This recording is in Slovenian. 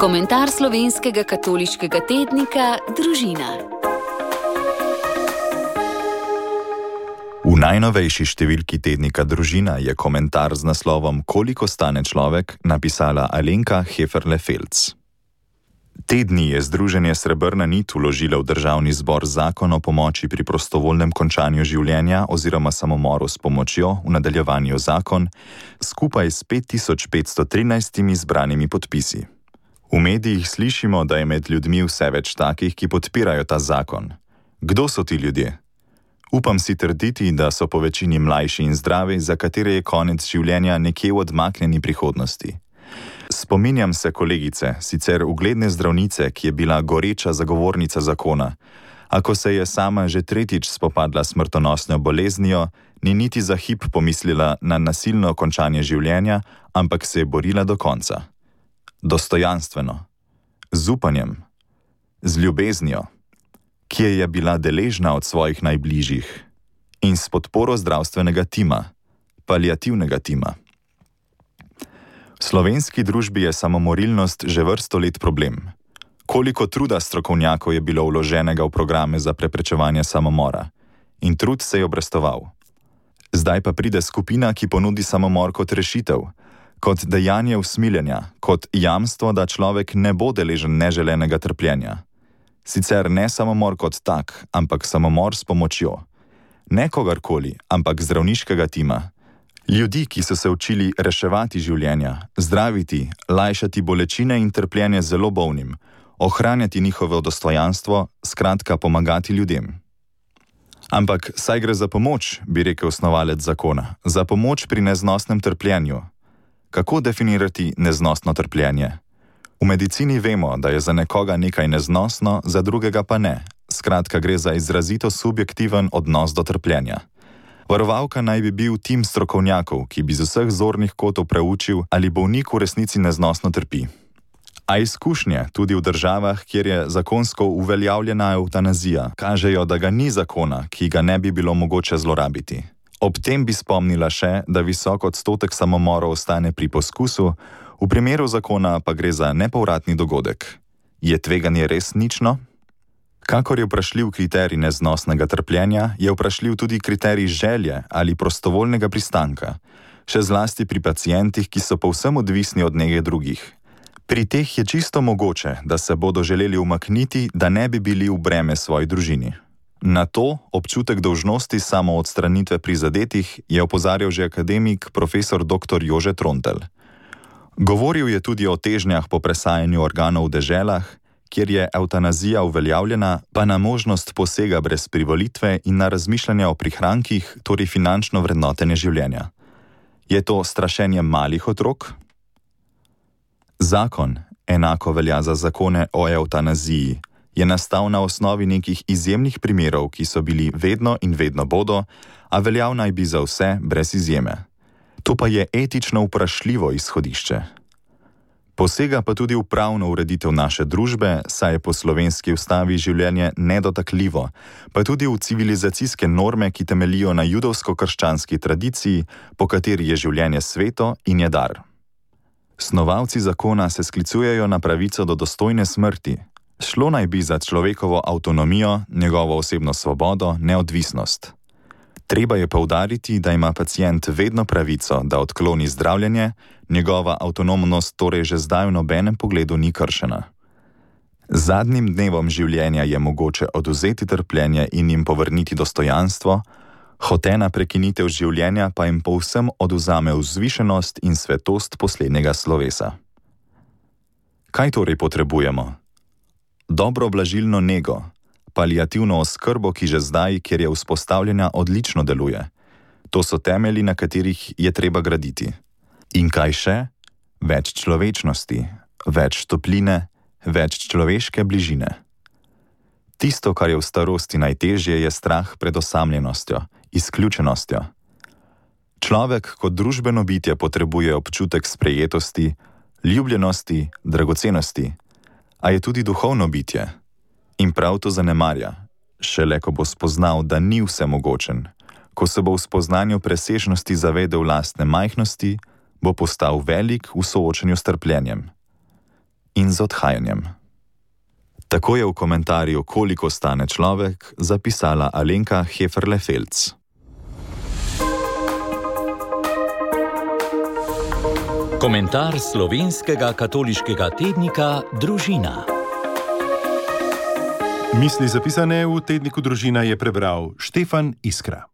Komentar slovenskega katoliškega tednika Družina. V najnovejši številki tednika Družina je komentar z naslovom Koliko stane človek napisala Alenka Heferle-Felc. Te dni je Združenje Srebrna nit vložilo v Državni zbor zakon o pomoči pri prostovoljnem končanju življenja oziroma samomoru s pomočjo, v nadaljevanju zakon, skupaj s 5513 zbranimi podpisi. V medijih slišimo, da je med ljudmi vse več takih, ki podpirajo ta zakon. Kdo so ti ljudje? Upam si trditi, da so po večini mlajši in zdravi, za katere je konec življenja nekje v odmaknjeni prihodnosti. Spominjam se kolegice, sicer ugledne zdravnice, ki je bila goreča zagovornica zakona, a ko se je sama že tretjič spopadla s smrtonosno boleznijo, ni niti za hip pomislila na nasilno končanje življenja, ampak se je borila do konca. Dostojanstveno, z upanjem, z ljubeznijo, ki je bila deležna od svojih najbližjih in s podporo zdravstvenega tima, paliativnega tima. V slovenski družbi je samomorilnost že vrsto let problem. Koliko truda strokovnjakov je bilo vloženega v programe za preprečevanje samomora in trud se je obrestoval. Zdaj pa pride skupina, ki ponudi samomor kot rešitev, kot dejanje usmiljenja, kot jamstvo, da človek ne bo deležen neželenega trpljenja. Sicer ne samomor kot tak, ampak samomor s pomočjo. Ne kogarkoli, ampak zdravniškega tima. Ljudi, ki so se učili reševati življenja, zdraviti, lajšati bolečine in trpljenje zelo bolnim, ohranjati njihovo dostojanstvo, skratka pomagati ljudem. Ampak saj gre za pomoč, bi rekel snovalec zakona, za pomoč pri neznosnem trpljenju. Kako definirati neznosno trpljenje? V medicini vemo, da je za nekoga nekaj neznosno, za drugega pa ne. Skratka, gre za izrazito subjektiven odnos do trpljenja. Varovalka naj bi bil tim strokovnjakov, ki bi z vseh zornih kotov preučil, ali bolnik v resnici neznosno trpi. A izkušnje, tudi v državah, kjer je zakonsko uveljavljena evtanazija, kažejo, da ga ni zakona, ki ga ne bi bilo mogoče zlorabiti. Ob tem bi spomnila še, da visok odstotek samomorov ostane pri poskusu, v primeru zakona pa gre za nepovratni dogodek. Je tveganje res nično? Kakor je vprašljiv kriterij neznosnega trpljenja, je vprašljiv tudi kriterij želje ali prostovoljnega pristanka, še zlasti pri pacientih, ki so povsem odvisni od nege drugih. Pri teh je čisto mogoče, da se bodo želeli umakniti, da ne bi bili v breme svoji družini. Na to občutek dolžnosti samoodstranitve prizadetih je opozarjal že akademik profesor dr. Jože Trontelj. Govoril je tudi o težnjah po presajanju organov v deželah, kjer je evtanazija uveljavljena, pa na možnost posega brez privolitve in na razmišljanje o prihrankih, torej finančno vrednotenje življenja. Je to strašenje malih otrok? Zakon, enako velja za zakone o evtanaziji, je nastal na osnovi nekih izjemnih primerov, ki so bili vedno in vedno bodo, a veljav naj bi za vse brez izjeme. To pa je etično vprašljivo izhodišče. Posega pa tudi v pravno ureditev naše družbe, saj je po slovenski ustavi življenje nedotakljivo, pa tudi v civilizacijske norme, ki temelijo na judovsko-krščanski tradiciji, po kateri je življenje sveto in je dar. Snovalci zakona se sklicujejo na pravico do dostojne smrti. Šlo naj bi za človekovo avtonomijo, njegovo osebno svobodo, neodvisnost. Treba je poudariti, da ima pacient vedno pravico, da odkloni zdravljenje, njegova avtonomnost torej že zdaj v nobenem pogledu ni kršena. Zadnjim dnevom življenja je mogoče odvzeti trpljenje in jim povrniti dostojanstvo, hotena prekinitev življenja pa jim povsem odvzame vzvišenost in svetost poslednjega slovesa. Kaj torej potrebujemo? Dobro blažilno nego, paliativno oskrbo, ki že zdaj, kjer je vzpostavljena, odlično deluje. To so temelji, na katerih je treba graditi. In kaj še? Več človečnosti, več topline, več človeške bližine. Tisto, kar je v starosti najtežje, je strah pred osamljenostjo, izključenostjo. Človek kot družbeno bitje potrebuje občutek sprejetosti, ljubljenosti, dragocenosti, a je tudi duhovno bitje. In prav to zanemarja, šele ko bo spoznal, da ni vsemogočen, ko se bo v spoznanju presežnosti zavedel lastne majhnosti, bo postal velik v soočenju s trpljenjem. in z odhajanjem. Tako je v komentarju Koliko stane človek zapisala Alenka Heferle-Felc. Komentar slovenskega katoliškega tednika Družina. Misli zapisane v tedniku Družina je prebral Štefan Iskra.